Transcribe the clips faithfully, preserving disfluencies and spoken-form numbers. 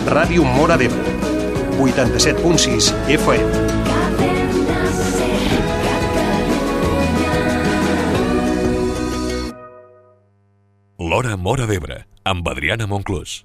Ràdio Móra d'Ebre, vuitanta-set punt sis F M. L'Hora Móra d'Ebre, amb Adriana Monclús.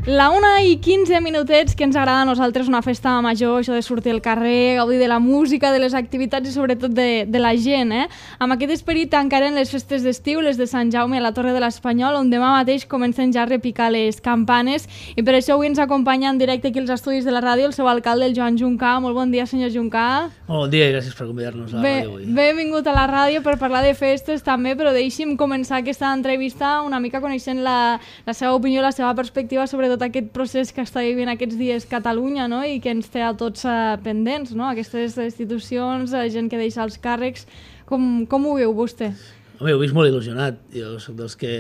La una i quinze minutets, que ens agrada a nosaltres una festa major, això de sortir al carrer, gaudir de la música, de les activitats i sobretot de, de la gent, eh? Amb aquest esperit tancaren les festes d'estiu, les de Sant Jaume a la Torre de l'Espanyol, on demà mateix comencen ja a repicar les campanes, i per això avui ens acompanya en directe aquí als estudis de la ràdio el seu alcalde, el Joan Juncà. Molt bon dia, senyor Juncà. Molt bon dia i gràcies per convidar-nos a la Bé, ràdio avui. Benvingut a la ràdio per parlar de festes també, però deixi'm començar aquesta entrevista una mica coneixent la, la seva opinió, la seva perspectiva sobre tot aquest procés que està vivint aquests dies Catalunya, no? I que ens té a tots uh, pendents, no? Aquestes institucions, uh, gent que deixa els càrrecs. Com, com ho veu vostè? Home, ho he vist molt il·lusionat. Jo soc dels que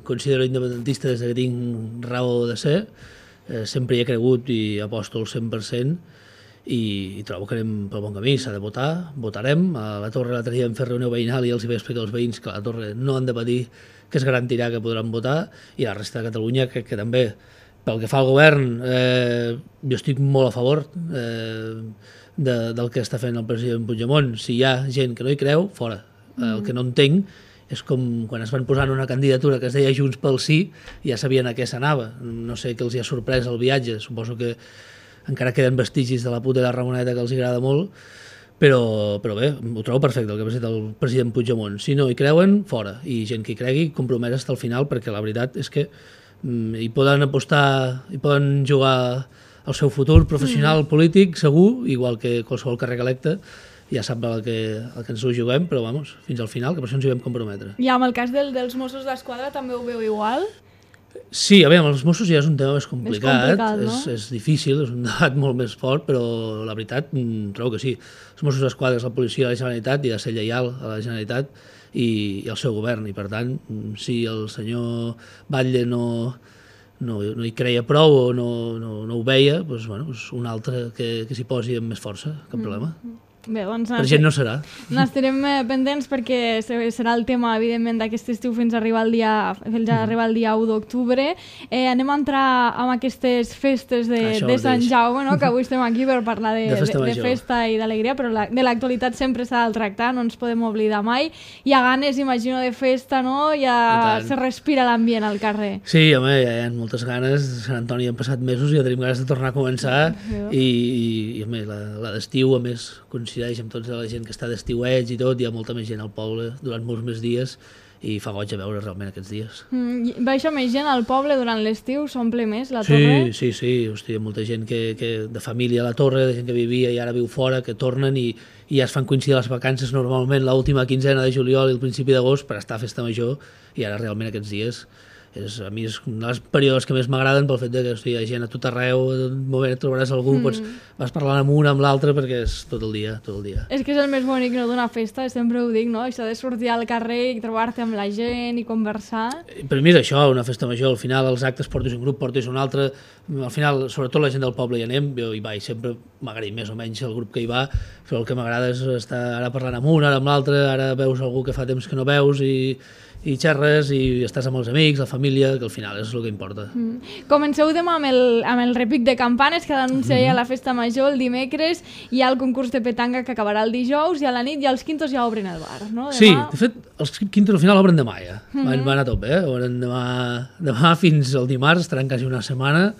considero independentista des que tinc raó de ser. Eh, sempre hi he cregut i aposto al cent per cent i, i trobo que anem pel bon camí. S'ha de votar, votarem. A la Torre l'altre dia vam fer reunió veïnal i els hi vaig explicar als veïns que a la Torre no han de patir, que es garantirà que podran votar, i la resta de Catalunya crec que també. Pel que fa al govern, eh, jo estic molt a favor eh, de, del que està fent el president Puigdemont. Si hi ha gent que no hi creu, fora. Mm. El que no entenc és com quan es van posar en una candidatura que es deia Junts pel Sí, ja sabien a què s'anava. No sé què els hi ha sorprès el viatge, suposo que encara queden vestigis de la puta de la Ramoneta que els agrada molt, però, però bé, ho trobo perfecte el que ha fet el president Puigdemont. Si no hi creuen, fora. I gent que hi cregui, compromès fins al final, perquè la veritat és que hi poden apostar, hi poden jugar el seu futur professional, mm. polític, segur, igual que qualsevol càrrec electe, ja sap el que, el que ens ho juguem, però vamos, fins al final, que per això ens hi vam comprometre. I amb el cas del, dels Mossos d'Esquadra també ho veu igual? Sí, a veure, amb els Mossos ja és un tema més complicat, és, complicat, no? és, és difícil, és un debat molt més fort, però la veritat trobo que sí. Els Mossos d'Esquadra és la policia de la Generalitat i ha de ser lleial a la Generalitat i, i al seu govern, i per tant, si el senyor Batlle no, no, no hi creia prou o no, no, no ho veia, doncs, bueno, doncs un altre que, que s'hi posi amb més força, cap problema. Mm. Bé, doncs, per gent no serà. N'estarem pendents perquè serà el tema, evidentment, d'aquest estiu fins a arribar el dia, fins a arribar el dia u d'octubre. Eh, anem a entrar amb aquestes festes de, de Sant Jaume, no? Que avui estem aquí per parlar de, de, festa, de, de festa i d'alegria, però la, de l'actualitat sempre s'ha de tractar, no ens podem oblidar mai. Hi ha ganes, imagino, de festa, no? Ja se respira l'ambient al carrer. Sí, home, hi ha moltes ganes. A Sant Antoni han passat mesos i ja tenim ganes de tornar a començar. I, i, i home, la, la d'estiu, a més, coincideix amb tota la gent que està d'estiuets i tot, hi ha molta més gent al poble durant molts més dies i fa goig a veure realment aquests dies. Mm, baixa més gent al poble durant l'estiu? S'omple més la sí, torre? Sí, sí, hosti, hi ha molta gent que, que de família a la torre, de gent que vivia i ara viu fora, que tornen i, i ja es fan coincidir les vacances normalment l'última quinzena de juliol i el principi d'agost per estar a festa major, i ara realment aquests dies és, a mi és un dels períodes que més m'agraden pel fet de que hosti, hi ha gent a tot arreu, un moment et trobaràs algú, mm. pots, vas parlant amb un, amb l'altre, perquè és tot el dia, tot el dia. És que és el més bonic, no, d'una festa, sempre ho dic, no? Això de sortir al carrer i trobar-te amb la gent i conversar. Per mi és això, una festa major, al final els actes portes un grup, portes un altre, al final, sobretot la gent del poble hi anem, jo hi vaig, sempre m'agrada més o menys el grup que hi va, però el que m'agrada és estar ara parlant amb un, ara amb l'altre, ara veus algú que fa temps que no veus i i xerres i estàs amb els amics, la família, que al final és el que importa. Mm. Comenceu demà amb el, amb el repic de campanes que anuncia ja mm. la festa major el dimecres, hi ha el concurs de petanga que acabarà el dijous i a la nit ja els quintos ja obren el bar, no? Demà... Sí, de fet, els quintos al final obren demà ja, mm -hmm. van, van a tope, eh? Obren demà, demà fins al dimarts, estaran quasi una setmana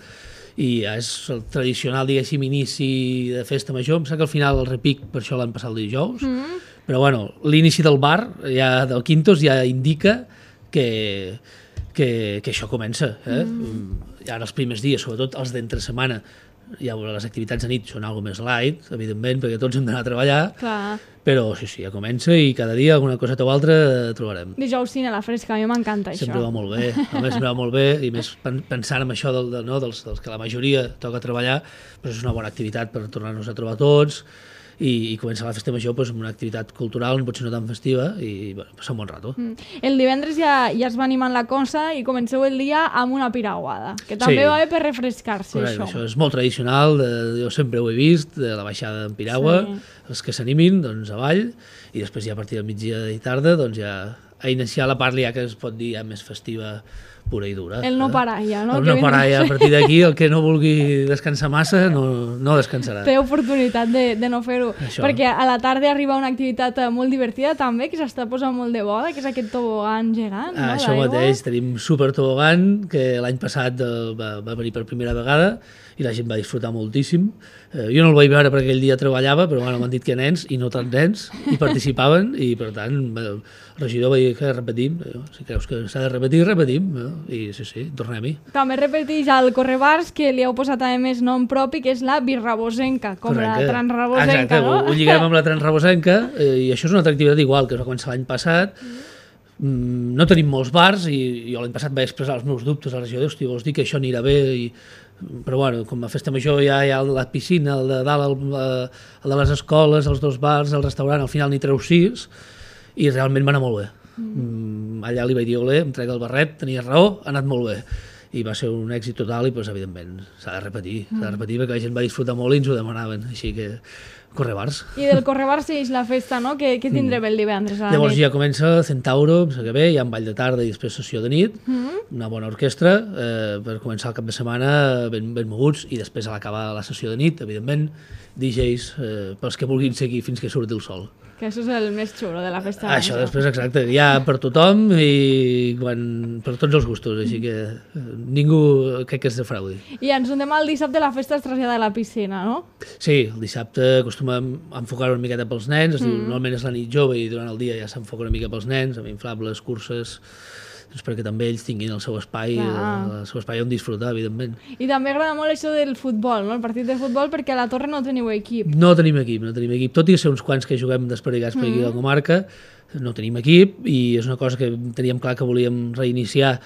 i ja és el tradicional, diguéssim, inici de festa major. Em sembla que al final el repic per això l'han passat el dijous, mm -hmm. però bueno, l'inici del bar, ja del Quintos, ja indica que, que, que això comença. Eh? Mm. Ja en els primers dies, sobretot els d'entre setmana, ja les activitats de nit són algo més light, evidentment, perquè tots hem d'anar a treballar, clar. Però sí, sí, ja comença i cada dia alguna coseta o altra trobarem. Dijous cine a la fresca, a mi m'encanta això. Sempre va molt bé, a més sempre va molt bé, i més pensant en això del, del, no, dels, dels que la majoria toca treballar, doncs és una bona activitat per tornar-nos a trobar tots, i, i comença la festa major pues, amb una activitat cultural, potser no tan festiva, i bueno, passa un bon rato. Mm. El divendres ja, ja es va animant la cosa i comenceu el dia amb una piraguada, que també sí. va bé per refrescar-se. Correcte, això. Això és molt tradicional, de, jo sempre ho he vist, de la baixada en piragua, sí. els que s'animin, doncs avall, i després ja a partir del migdia i tarda, doncs ja a iniciar la part ja que es pot dir ja més festiva, pura i dura. El no parar ja, no? El no parar ja, a partir d'aquí, el que no vulgui descansar massa no, no descansarà. Té oportunitat de, de no fer-ho. Perquè a la tarda arriba una activitat molt divertida també, que s'està posant molt de moda, que és aquest tobogan gegant, ah, no? Això mateix, tenim super tobogan, que l'any passat va, va venir per primera vegada i la gent va disfrutar moltíssim. Eh, jo no el vaig veure perquè aquell dia treballava, però bueno, m'han dit que nens, i no tants nens, hi participaven, i per tant el regidor va dir que repetim, si creus que s'ha de repetir, repetim, no? I sí, sí, tornem-hi. També repeteix al Correbars, que li heu posat a més nom propi, que és la birrabosenca, com Correcte. La transrabosenca, Exacte, no? Ho, ho lliguem amb la transrabosenca, eh, i això és una altra activitat igual, que es va començar l'any passat. Mm, no tenim molts bars, i jo l'any passat vaig expressar els meus dubtes a la regidor, hosti, vols dir que això anirà bé, i però bueno, com a festa major ja hi ha la piscina, el de dalt, el, el de les escoles, els dos bars, el restaurant, al final n'hi treu sis, i realment va anar molt bé. Mm. Allà li vaig dir, olé, em trec el barret, tenia raó, ha anat molt bé. I va ser un èxit total i, pues, evidentment, s'ha de repetir, mm. s'ha de repetir perquè la gent va disfrutar molt i ens ho demanaven, així que Correbars. I del Correbars és la festa, no? Què, què tindrem el divendres a la Llavors nit? ja comença Centauro, em sembla que bé, hi ha un ball de tarda i després sessió de nit, mm. una bona orquestra, eh, per començar el cap de setmana ben, ben moguts, i després a l'acabar la sessió de nit, evidentment, D Js eh, pels que vulguin seguir fins que surti el sol. Que això és el més xulo de la festa. Això després, exacte, hi ha per tothom i quan, per tots els gustos, així que ningú crec que es defraudi. I ens anem al dissabte, la festa es trasllada a la piscina, no? Sí, el dissabte acostumem a enfocar una miqueta pels nens, es diu, mm. normalment és la nit jove i durant el dia ja s'enfoca una mica pels nens, amb inflables, curses, doncs perquè també ells tinguin el seu espai, el seu espai on disfrutar, evidentment. I també agrada molt això del futbol, no? El partit de futbol, perquè a la Torre no teniu equip. No tenim equip, no tenim equip, tot i ser uns quants que juguem desperdigats per aquí a la comarca, no tenim equip, i és una cosa que teníem clar que volíem reiniciar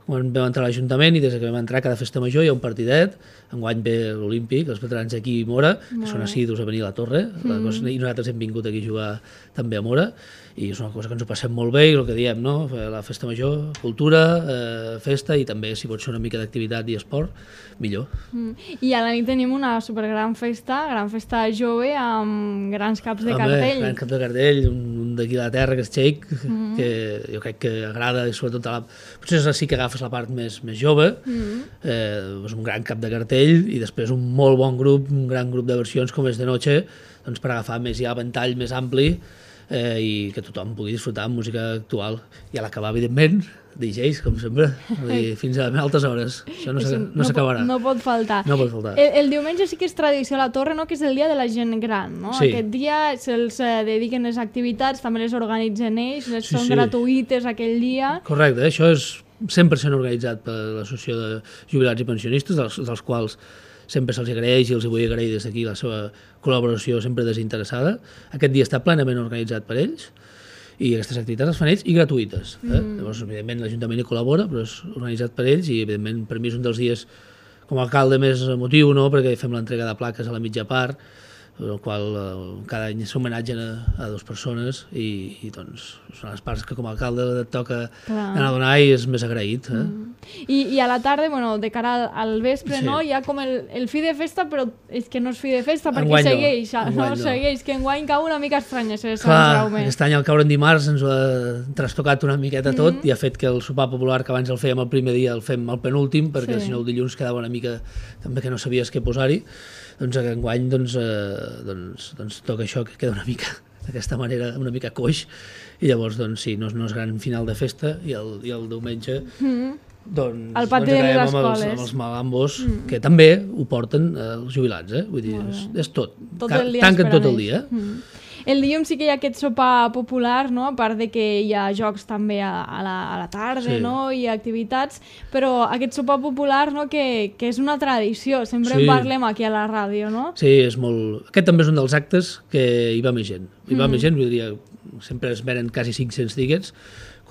quan vam entrar a l'Ajuntament, i des que vam entrar cada festa major hi ha un partidet, enguany ve l'Olímpic, els veterans aquí i Mora, que són assidus a venir a la Torre, la cosa, i nosaltres hem vingut aquí a jugar també a Mora, i és una cosa que ens ho passem molt bé, i el que diem, no? La festa major, cultura, eh, festa, i també si pot ser una mica d'activitat i esport, millor. Mm. I a la nit tenim una supergran festa, gran festa jove, amb grans caps de Home, cartell. Gran cap de cartell, un, un d'aquí a la terra, que és Txeic, mm. que jo crec que agrada, i sobretot a la... potser és així que agafes la part més, més jove, mm. eh, és un gran cap de cartell, i després un molt bon grup, un gran grup de versions com és de noche, doncs per agafar més ja ventall més ampli, eh, i que tothom pugui disfrutar amb música actual. I a l'acabar, evidentment, D Js, com sempre, dir, fins a altes hores. Això no s'acabarà. No, no pot faltar. No pot faltar. El, el diumenge sí que és tradició a la Torre, no? Que és el dia de la gent gran, no? Sí. Aquest dia se'ls eh, dediquen les activitats, també les organitzen ells, les sí, són sí. gratuïtes aquell dia. Correcte, això és cent per cent organitzat per l'Associació de Jubilats i Pensionistes, dels, dels quals sempre se'ls agraeix i els vull agrair des d'aquí la seva col·laboració sempre desinteressada. Aquest dia està plenament organitzat per ells i aquestes activitats les fan ells i gratuïtes. Eh? Mm. Llavors, evidentment, l'Ajuntament hi col·labora, però és organitzat per ells i, evidentment, per mi és un dels dies com a alcalde més emotiu, no? Perquè fem l'entrega de plaques a la mitja part, el qual eh, cada any s'homenatgen a, a dues persones i, i doncs són les parts que com a alcalde et toca Clar. anar a donar i és més agraït. Eh? Mm. I, I a la tarda, bueno, de cara al, al vespre, sí. no? Hi ha com el, el fi de festa, però és que no és fi de festa perquè enguany segueix, no. no? Segueix, que enguany cau una mica estranya ser Sant Jaume. Aquest any al caure en dimarts ens ho ha trastocat una miqueta tot mm -hmm. i ha fet que el sopar popular, que abans el fèiem el primer dia, el fem el penúltim, perquè sí. si no el dilluns quedava una mica també que no sabies què posar-hi. Doncs enguany doncs, eh, doncs, doncs toca això, que queda una mica d'aquesta manera, una mica coix, i llavors doncs sí, no, no és gran final de festa, i el, i el diumenge mm. doncs, el pati doncs de les amb escoles. els, amb els malambos, mm. que també ho porten eh, els jubilats, eh? Vull dir, és, és tot, tot Ca el dia tanquen tot el dia. Mm. El dilluns sí que hi ha aquest sopar popular, no? A part de que hi ha jocs també a, a, la, a la tarda, sí. no? I activitats, però aquest sopar popular, no? que, que és una tradició, sempre sí. en parlem aquí a la ràdio, no? Sí, és molt... Aquest també és un dels actes que hi va més gent. Hi va mm. més gent, vull dir, sempre es venen quasi cinc-cents tiquets,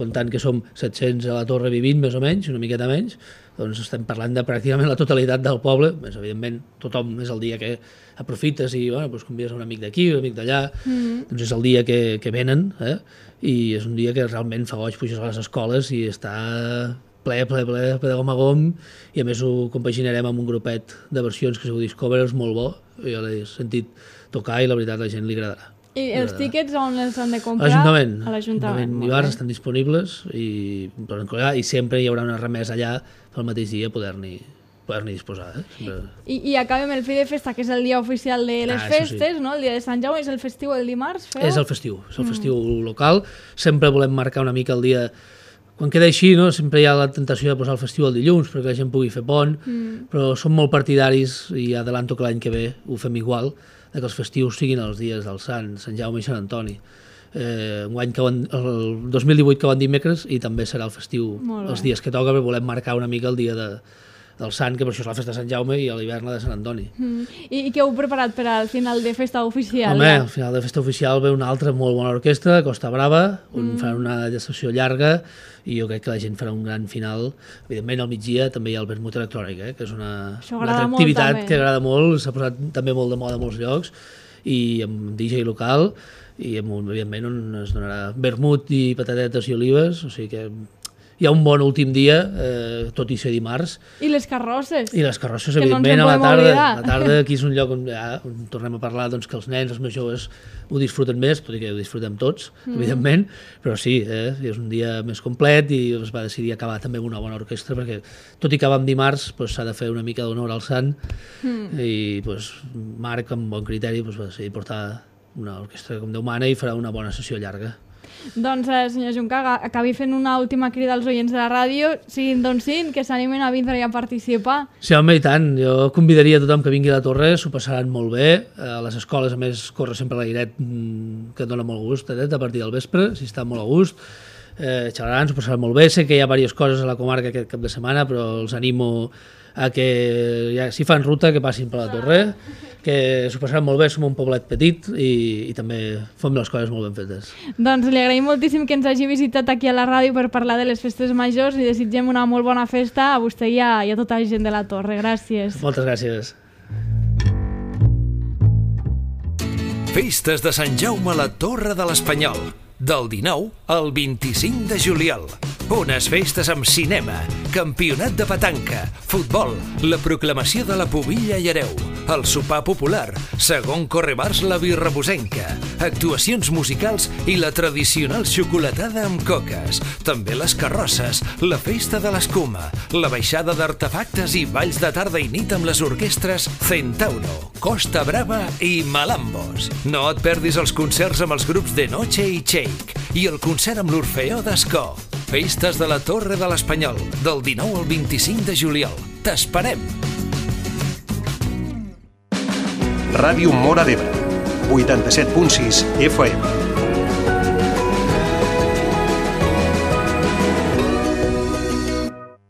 comptant que som set-cents a la Torre vivint, més o menys, una miqueta menys, doncs estem parlant de pràcticament la totalitat del poble. Més evidentment, tothom és el dia que aprofites i bueno, doncs convides un amic d'aquí, un amic d'allà, mm. doncs és el dia que, que venen, eh? I és un dia que realment fa goig, puges a les escoles i està ple, ple, ple, ple de gom a gom, i a més ho compaginarem amb un grupet de versions que es diu Discoverers, molt bo, jo l'he sentit tocar i la veritat la gent li agradarà. I els tíquets on els han de comprar? L'Ajuntament. A l'Ajuntament. I bars estan disponibles i, i sempre hi haurà una remesa allà pel mateix dia poder-n'hi poder-n'hi disposar. Eh? Sempre... I, I acabem el fi de festa, que és el dia oficial de les ah, festes, sí. no? El dia de Sant Jaume, és el festiu el dimarts, feu? És el festiu, és el festiu mm. local. Sempre volem marcar una mica el dia... Quan queda així, no? Sempre hi ha la tentació de posar el festiu el dilluns perquè la gent pugui fer pont, mm. però som molt partidaris i adelanto que l'any que ve ho fem igual, que els festius siguin els dies del Sant, Sant Jaume i Sant Antoni. Eh, un any que van, el dos mil divuit que van dimecres i també serà el festiu els dies que toca, perquè volem marcar una mica el dia de, del Sant, que per això és la festa de Sant Jaume, i a l'hivern la de Sant Antoni. Mm. I, I què heu preparat per al final de festa oficial? Home, al final de festa oficial ve una altra molt bona orquestra, Costa Brava, on mm. faran una sessió llarga, i jo crec que la gent farà un gran final. Evidentment al migdia també hi ha el vermut electrònic, eh? Que és una, una altra activitat que agrada molt, s'ha posat també molt de moda a molts llocs, i amb D J local, i amb, evidentment on es donarà vermut i patatetes i olives, o sigui que hi ha un bon últim dia, eh, tot i ser dimarts. I les carrosses. I les carrosses, evidentment, no a la tarda. A la tarda aquí és un lloc on, ja, on tornem a parlar doncs, que els nens, els més joves, ho disfruten més, tot i que ho disfrutem tots, mm. evidentment, però sí, eh, és un dia més complet i es va decidir acabar també amb una bona orquestra, perquè tot i que va amb dimarts, doncs, s'ha de fer una mica d'honor al sant, mm. i doncs, Marc, amb bon criteri, doncs, va decidir portar una orquestra com Déu mana i farà una bona sessió llarga. Doncs, eh, senyor Juncaga, acabi fent una última crida als oients de la ràdio, siguin d'on siguin, que s'animen a vindre i a participar. Sí, home, i tant. Jo convidaria a tothom que vingui a la Torre, s'ho passaran molt bé. A les escoles, a més, corre sempre l'airet que dona molt gust, eh, a partir del vespre, si està molt a gust. Eh, xalaran, s'ho passaran molt bé. Sé que hi ha diverses coses a la comarca aquest cap de setmana, però els animo a que, ja, si fan ruta, que passin per la Torre, que s'ho passaran molt bé, som un poblet petit i, i també fem les coses molt ben fetes. Doncs li agraïm moltíssim que ens hagi visitat aquí a la ràdio per parlar de les festes majors i desitgem una molt bona festa a vostè i a, i a tota la gent de la Torre. Gràcies. Moltes gràcies. Festes de Sant Jaume a la Torre de l'Espanyol, del dinou al vint-i-cinc de juliol. Unes festes amb cinema, campionat de petanca, futbol, la proclamació de la Pubilla i Hereu, el sopar popular, segon correbars la birrabusenca, actuacions musicals i la tradicional xocolatada amb coques, també les carrosses, la festa de l'escuma, la baixada d'artefactes i balls de tarda i nit amb les orquestres Centauro, Costa Brava i Malambos. No et perdis els concerts amb els grups de Noche i Shake i el concert amb l'Orfeó d'Escó. Festes de la Torre de l'Espanyol, del dinou al vint-i-cinc de juliol. T'esperem! Ràdio Móra d'Ebre, vuitanta-set punt sis F M.